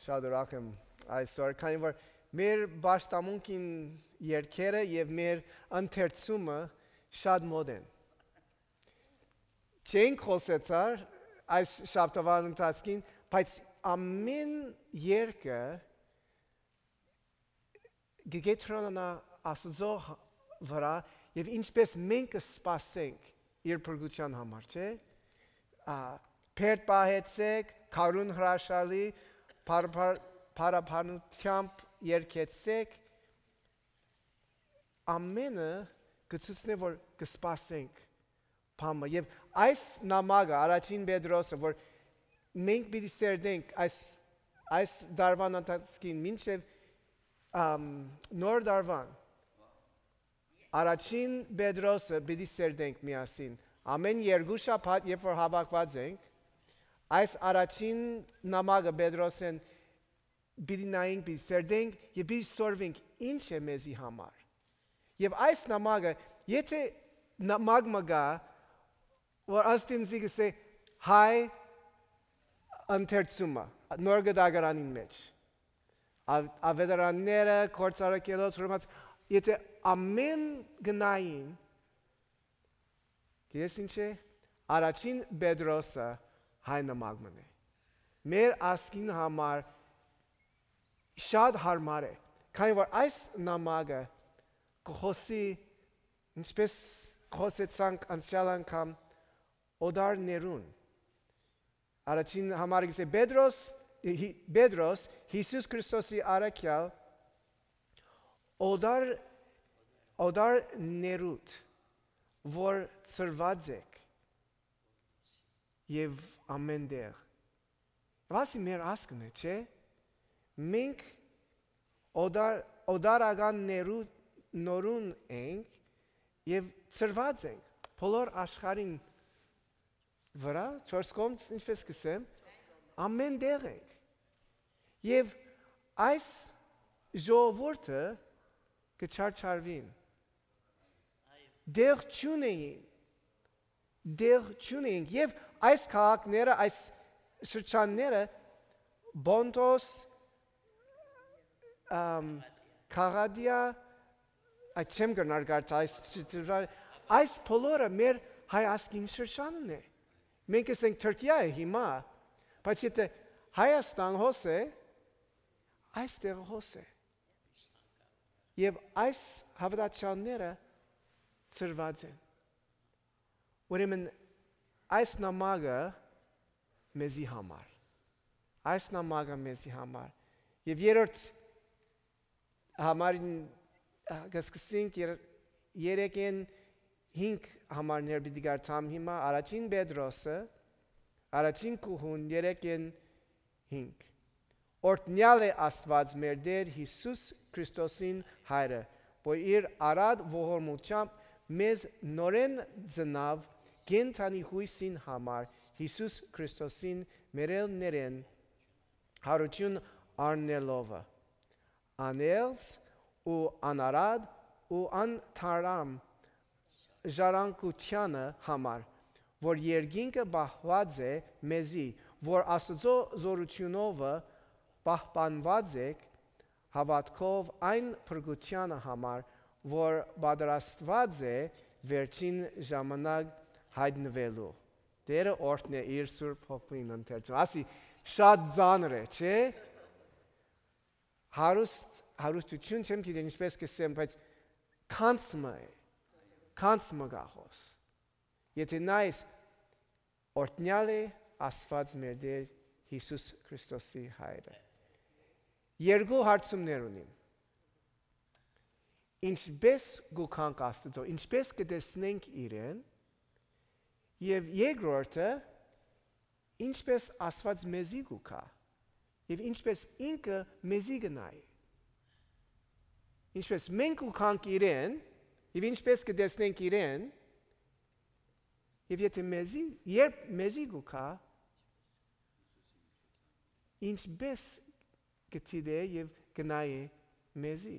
Շատ ուրախ եմ այսօր, քանի որ մեր պաշտամունքին երկերը եւ մեր ընթերցումը շատ մոտ են։ Չենք խոսեցար այս շաբաթվան ընթացքին, բայց ամեն երկը գետրոնանա Աստծո վրա եւ ինչպես մենք սպասենք իր փրկության համար, չէ՞։ Փերտ պահեցեք, քարուն հրաշալի, փարապանությամբ երկեցեք, ամենը գծուցնե որ կսպասենք փամը եւ այս նամակը առաջին Պետրոսը որ մենք պիտի սերդենք այս դարվան ընթացքին մինչեւ նոր դարվան առաջին Պետրոսը պիտի սերդենք միասին ամեն երկու շաբաթ երբ որ հավաքված ենք այս առաջին նամակը Պետրոսեն պիտի նայենք, պիտի սերդենք եւ պիտի սորվենք ինչ է մեզի համար եւ այս նամակը եթե նամակ մգա որ աստինզի կսե հայ ընթերցումը նոր գդագարանին մեջ ավետարանները կորցարակելոց հրմած եթե ամեն գնային գիտես ինչ է առաջին Պետրոսը հայ նամակն է մեր ասկին համար շատ հարմար է քանի որ այս նամակը կխոսի ինչպես խոսեցանք անցյալ անգամ օդարներուն առաջին համարը գսե Պետրոս Հիսուս Քրիստոսի արաքյալ օդարներուտ որ ծրված եք եւ ամեն դեղ վասի մեր ասկն է չէ մենք օդարական նորուն ենք եւ ծրված ենք բոլոր աշխարհին վրա չորս կողմ ինչպես կսեմ ամեն դեղ ենք եւ այս ժողովուրդը կչարչարվին դեղ չունեին եւ այս քաղաքները այս շրջանները Բոնտոս Քաղադիա չեմ գնար գարտ այս բոլորը մեր հայ ասկին շրջանն է մենք ենք Թուրքիա է հիմա բայց եթե Հայաստան հոսե այստեղ հոսե եւ այս հավատացյալները ծրված են ուրեմն այս նամակը մեզի համար եւ երրորդ համարին կսկսենք երեկեն 5 համարներ պիտի գարտամ հիմա առաջին Պետրոսը առաջին կուհուն երեկեն 5 Օրհնյալ է Աստված մեր Տեր Հիսուս Քրիստոսին հայրը որ իր արադ ողորմությամբ մեզ նորեն ծնավ կենթանի հույսին համար Հիսուս Քրիստոսին մերելներեն հարություն առնելով անելց ու անարադ ու անթարամ ժառանգությանը համար որ երկինքը բահված է մեզի որ Աստծո զորությունով պահպանված եք հավատքով այն փրկությանը համար որ պատրաստված է վերջին ժամանակ հայտնվելու Տերը օրհնե իր սուրբ հոգին ընթերցում ասի շատ ծանր է չէ հարուստություն չեմ գիտեմ ինչպես կսեմ բայց կանցմը գախոս եթե նայես օրհնյալ է Աստված մեր Տեր Հիսուս Քրիստոսի հայրը երկու հարցումներ ունիմ ինչպես գուքանք Աստծո ինչպես կտեսնենք իրեն եւ երկրորդը ինչպես Աստված մեզի գուքա եւ ինչպես ինքը մեզի գնայի ինչպես մենք գուքանք իրեն եւ ինչպես կտեսնենք իրեն եւ եթե մեզի գուքա ինչպես կտիդե եւ գնայի մեզի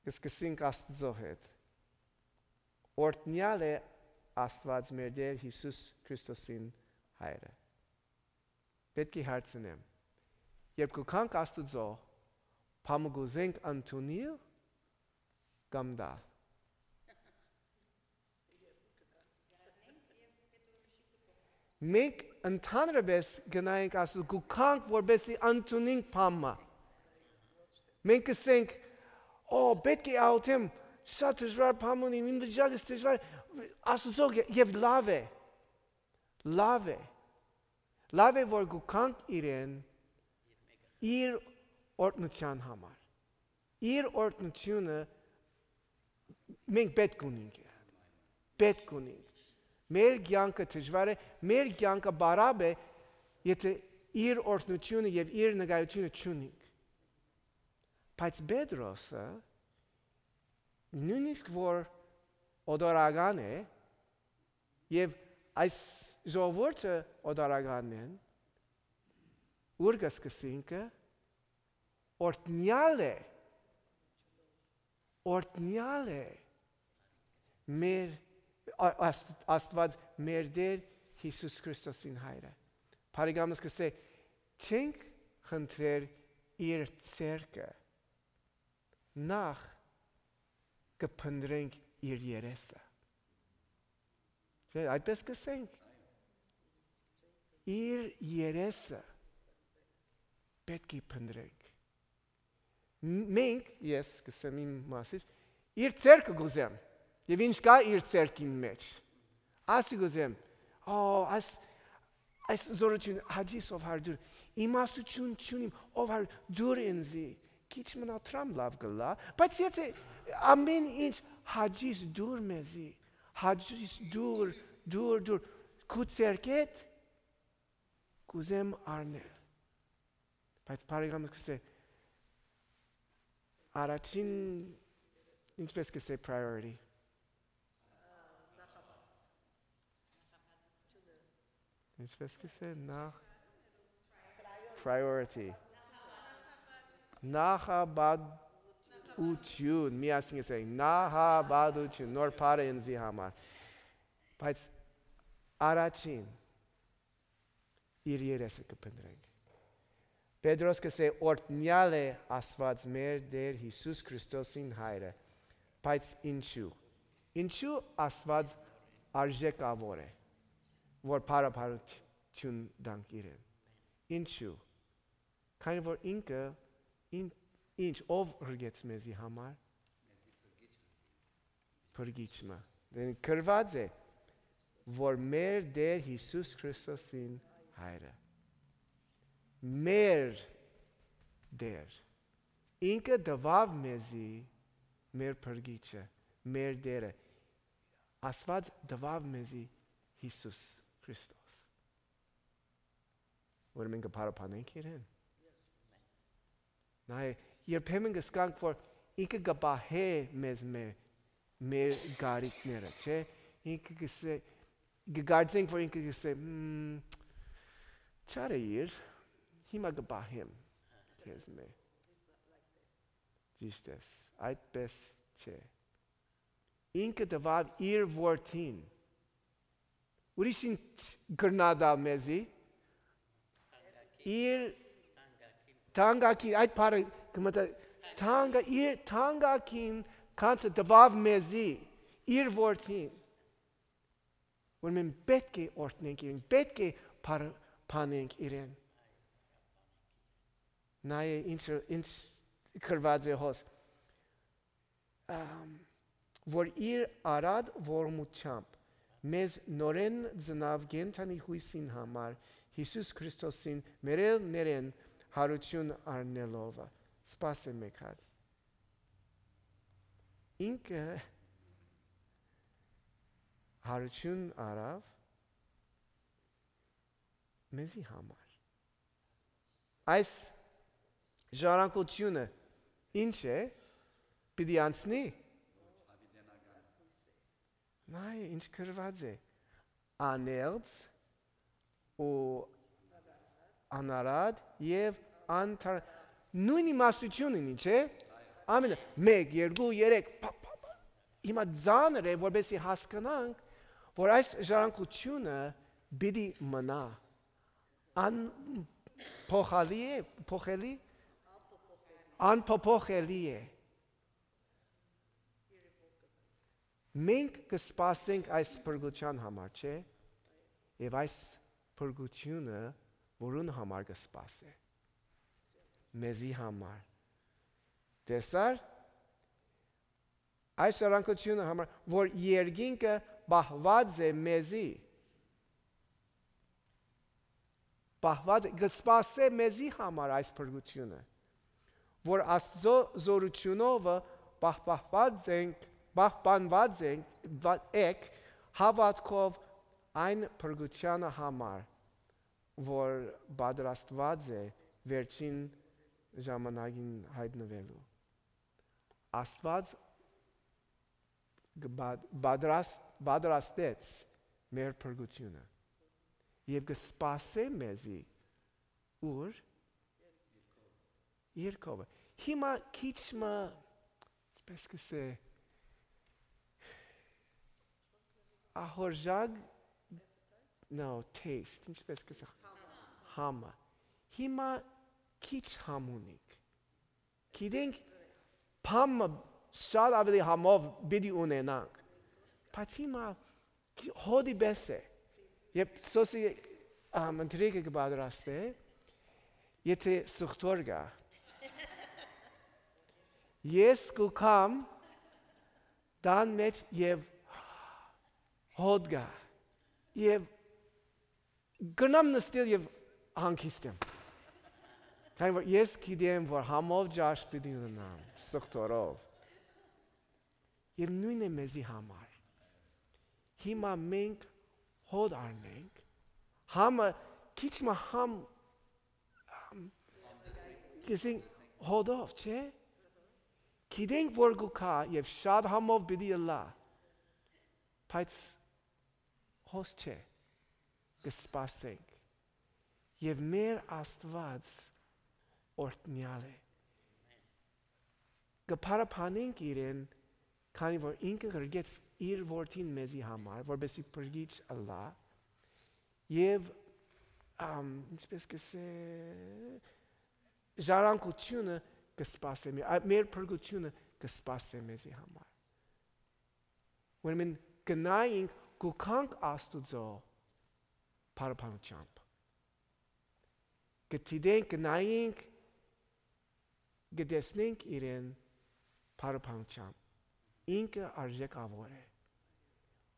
կսկսենք Աստծո հետ օրհնյալ է Աստված մեր Տեր Հիսուս Քրիստոսին հայրը պետք է հարցնեմ, երբ կգանք Աստուծո, բամը գուզենք ընդունել կամ դալ։ Մենք ընդհանրապես գնայինք Աստուծո, կգանք որպեսզի ընդունենք բամը։ Մենք կսենք, պետք է աղոթեմ, շատ դժվար բան ունի, իմ վիճակը դժվար, Աստուծո եւ լավ է։ Լավ է, որ գուքանք իրեն իր օրհնության համար։ Իր օրհնությունը մենք պետք ունենք։ Պետք ունենք։ Մեր կյանքը դժվար է, մեր կյանքը բարապ է, եթե իր օրհնությունը եւ իր նկատությունը չունենք։ Բայց Պետրոսը նույնիսկ որ օդորական է եւ այս ժողովուրդը օդորականն են, ուր կսկսենք օրհնյալ է մեր Աստված մեր Տեր Հիսուս Քրիստոսին հայրը։ Փարիգամս կսե չենք խնդրեր իր ցերկը նախ կփնտրենք իր երեսը։ Չէ, այդպես կսենք իր երեսը պետք է փնտրենք։ Մենք, ես կսեմ իմ մասից, իր ցերկը գուզեմ։ Եվ ինչ կա իր ցերկին մեջ։ Ասի գուզեմ, այս զորություն հաջիս ով հարդուր, իմաստություն չունիմ, ով հարդուր ինձի, քիչ մնա տրամ լավ գլա, բայց եթե ամեն ինչ հաջիս դուր մեզի, հաջիս դուր, քու ցերկետ, կուզեմ արնել։ Բայց բարեկամս կսե, առաջին, ինչպես կսե priority, ինչպես կսե priority, նախաբադություն, միասին կսե, նախաբադություն, նոր պարը ինձի համար, բայց առաջին, իր երեսը կպնդրենք։ Պետրոս կսե օրհնյալ է Աստված մեր Տեր Հիսուս Քրիստոսին հայրը, բայց ինչու Աստված արժեքավոր է, որ փառաբանություն դանք իրեն։ Ինչու։ Քանի որ ինքը ինչ ով հրգեց մեզի համար փրկիչը։ Դեն գրված է, որ մեր Տեր Հիսուս Քրիստոսին հայրը։ Մեր Տեր։ Ինքը դվավ մեզի մեր փրկիչը, մեր Տերը։ Աստված դվավ մեզի Հիսուս Քրիստոս։ Որ մենք կփառաբանենք իրեն։ Նայ, երբեմն կսկանք, որ ինքը կպահե մեզ մեր գարիքները, չէ՞։ Ինքը կսե, կգարձենք, որ ինքը կսե, չարեիր, հիմա կպահեմ քեզ մե։ Ճիշտ ես, այդպես չէ։ Ինքը տվավ իր որդին։ Ուրիշին գրնադալ մեզի, իր թանկագին, այդ պարը կմտա, իր թանկագին կանցը տվավ մեզի, իր որդին։ Որ մենք պետք է օրհնենք իրեն, պետք է փառաբանենք իրեն։ Նայ ինչ գրված է հոս, որ իր արադ ողորմությամբ մեզ նորեն ծնավ կենդանի հույսին համար Հիսուս Քրիստոսին մերել ներեն հարություն առնելով։ Սպասեմ եք հատ։ Ինքը հարություն արավ մեզի համար։ Այս ժառանգությունը ինչ է, պիտի անցնի։ Նայ, ինչ գրված է, անելց ու անարատ և անթար, նույն իմաստություն ունի, չէ։ Ամենը, 1, 2, 3, հիմա ձանր է, որպեսզի հասկանանք, որ այս ժառանգությունը պիտի մնա, Անփոփոխելի է։ Մենք կսպասենք այս փրկության համար, չէ՞։ Եվ այս փրկությունը որուն համար կսպասե։ Մեզի համար։ Տեսար այս առանկությունը համար, որ երկինքը բահված է մեզի։ Բահված է, կսպասե մեզի համար այս փրկությունը, որ Աստծո զորությունով պահպանված ենք հավատքով այն փրկությանը համար, որ պատրաստված է վերջին ժամանակին հայտնվելու։ Աստված պատրաստեց մեր փրկությունը եւ կսպասե մեզի ուր երկովը։ Հիմա քիչ մը ինչպես կսե ահորժակ taste ինչպես կսե համը։ Հիմա քիչ համ ունիկ։ Գիտենք փամը շատ ավելի համով պիտի ունենանք։ Բայց հիմա հոդի պես է։ Եվ սոսի ընտրիկը կպատրաստե, եթե սուխտոր գա։ Ես կուքամ դան մեջ և հոդ գա։ Եվ գնամ նստել և հանգիստեմ։ Քանի որ ես գիտեմ, որ համով ջաշ պիտի ունենամ, սուխտորով։ Եվ նույն է մեզի համար։ Հիմա մենք հոդ առնենք, համը քիչ մը համ կիսենք հոդով, չէ՞։ Գիտենք, որ գուքա և շատ համով պիտի լա, բայց հոս չէ, կսպասենք։ Եվ մեր Աստված օրհնյալ է։ Կփարապանենք իրեն, քանի որ ինքը գրգեց իր որդին մեզի համար, որպեսզի փրկիչ ըլլա, եւ ինչպես կսե ժառանգությունը կսպասե մեր փրկությունը կսպասե մեզի համար։ Ուրեմն գնայինք գուքանք Աստուծո փարապանությամբ։ Գտիդենք գնայինք գտեսնենք իրեն փարապանությամբ։ Ինքը արժեքավոր է։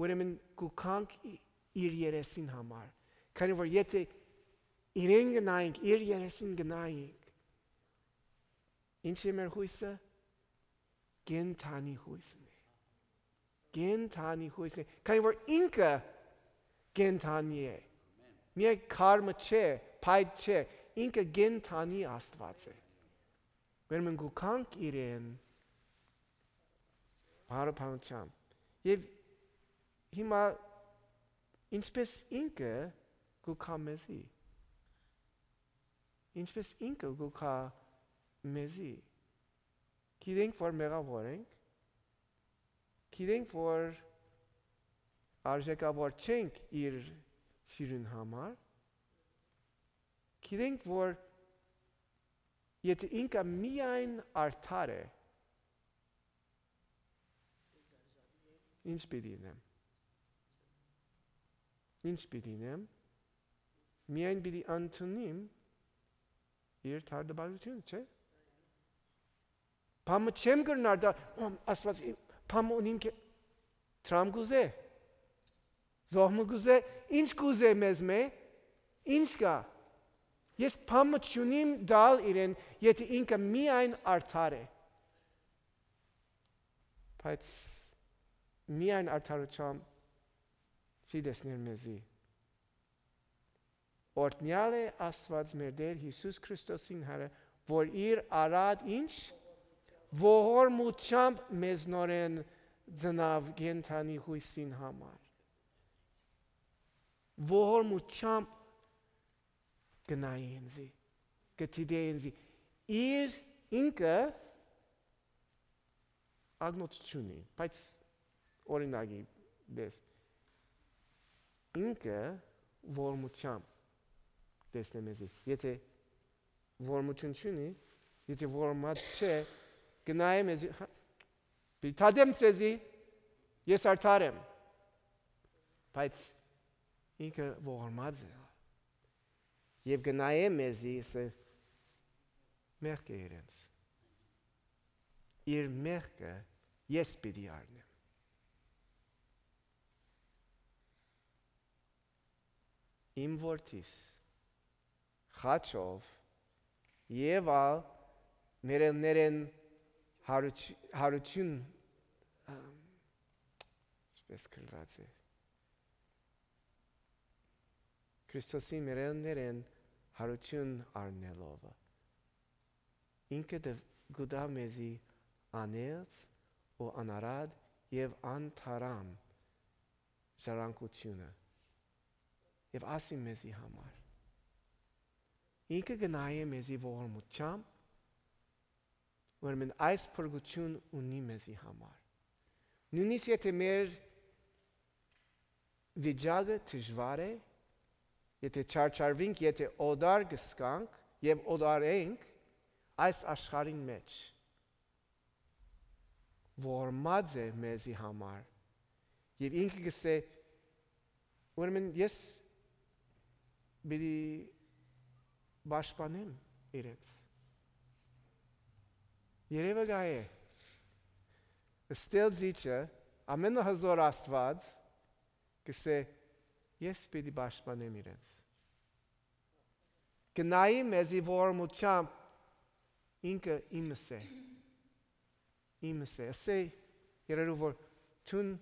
Ուրեմն գուքանք իր երեսին համար։ Քանի որ եթե իրեն գնայինք, իր երեսին գնայինք, ինչ է մեր հույսը։ Կենթանի հույսն է։ Կենթանի հույսն է։ Քանի որ ինքը կենթանի է։ Միայն քարմը չէ, փայտ չէ, ինքը կենթանի Աստված է։ Ուրեմն գուքանք իրեն փարապանությամբ։ Եվ հիմա ինչպես ինքը գուքա մեզի։ Ինչպես ինքը գուքա մեզի։ Գիտենք, որ մեղավոր ենք։ Գիտենք, որ արժեքավոր չենք իր սիրուն համար։ Գիտենք, որ եթե ինքը միայն արդար է, ինչ պիտի ինեմ։ Ինչ պիտի ինեմ։ Միայն պիտի ընդունիմ իր թարդաբարությունը, չէ՞։ Փամը չեմ կրնար դա, Աստված, փամը ունիմ տրամ գուզե, զոհմը գուզե, ինչ գուզե մեզ մե, ինչ կա։ Ես փամը չունիմ դալ իրեն, եթե ինքը միայն արդար է։ Բայց միայն արդարությամբ սիդեսներ մեզի։ Օրհնյալ է Աստված մեր Տեր Հիսուս Քրիստոսին Հայրը, որ իր արած ինչ ողորմությամբ մեզնորեն ծնավ կենդանի հույսին համար։ Ողորմությամբ գնայի ինձի, գտիդե ինձի, իր ինքը ագնոց չունի, բայց օրինակի դես, ինքը ողորմությամբ տեսնե մեզի։ Եթե որմություն չունի, եթե որմած չէ, գնայ մեզի, բիթադեմ ցեզի, ես արդար եմ։ Բայց ինքը որմած է։ Եվ գնայ մեզի, ասե մեղք է իրենց։ Իր մեղքը ես պիտի առնեմ։ Իմ որդիս խաչով եւ ալ մերելներեն հարություն սպես գրված է Քրիստոսի մերելներեն հարություն առնելով ինքը գուտա մեզի անելց ու անարad եւ անթարամ ժառանգությունը եւ ասի մեզի համար ինքը գնայ մեզի ողորմությամբ ուրեմն այս փրկություն ունի մեզի համար նույնիսկ եթե մեր վիճակը դժվար է եթե չարչարվենք եթե օդար գսկանք եւ օդարենք այս աշխարհին մեջ որմած է մեզի համար եւ ինքը գսե ուրեմն ես բիդի պաշտպանեմ իրենց երևը գայ է ստել զիջը ամենահզոր Աստված գսե ես բիդի պաշտպանեմ իրենց գնայի մեզի ողորմությամբ ինքը իմս է ասե երերու որ թուն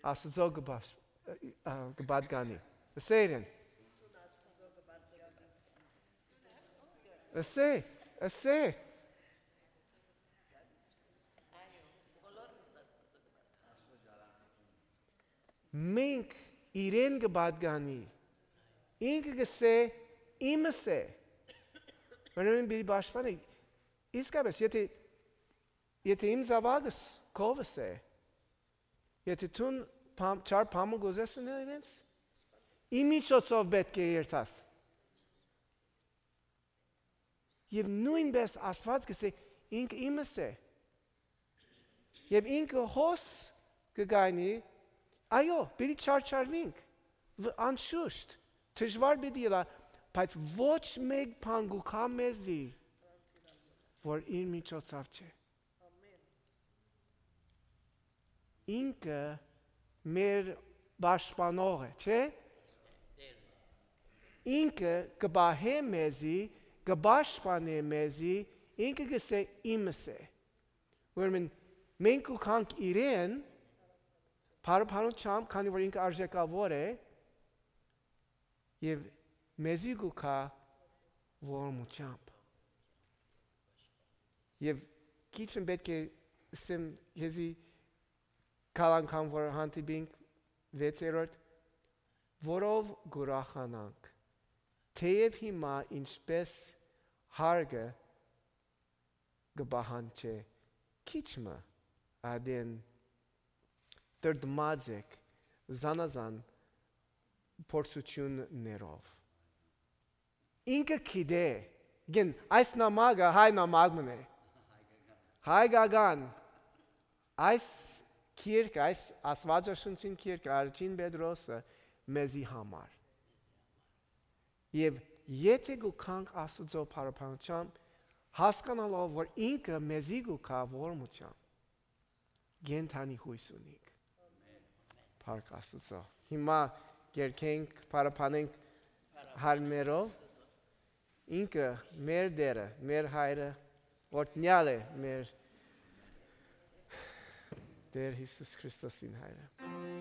Աստծո գբադգանի ասե իրեն ասե մենք իրեն գբադգանի ինքը գսե իմս է ուրեմն բիդի պաշտպանի իսկապես եթե իմ զավակս քովս է եթե թուն չար փամուկ ուզես իրենց իմ միջոցով պետք է երթաս եւ նույնպես Աստված գսե ինքը իմս է եւ ինքը հոս կգանի այո պիտի չարչարվենք անշուշտ դժվար պիտի լա բայց ոչ մեկ բան գուքա մեզի որ իր միջոցով չէ ինքը մեր պաշտպանող է չէ ինքը կբահե մեզի գբաշխանե մեզի ինքը գսե իմս է ուրեմն մենք ուքանք իրեն բարբանությամբ քանի որ ինքը արժեքավոր է եւ մեզի գուքա ողորմությամբ եւ քիչն պետք է սեմ եզի կալանքան որ հանդիպինք 6-րդ որով գուրախանանք թեև հիմա ինչպես հարգը գբահանչե քիչմը ադեն դրդմած եք զանազան փորձություններով ինքը գիտե գին այս նամակը հայ նամակն է հայ գագան այս քիրք այս աստվածաշնչին քիրք Արչին Պետրոսը մեզի համար եւ եթե գուքանք Աստծո փառապանությամբ հասկանալով որ ինքը մեզի գուքա ողորմությամբ գենթանի հույս ունենք Փառք Աստծո հիմա երկենք փառապանենք հարմերով ինքը մեր դերը մեր հայրը օրհնյալ է մեր Դեր Հիսուս Քրիստոսին հայրը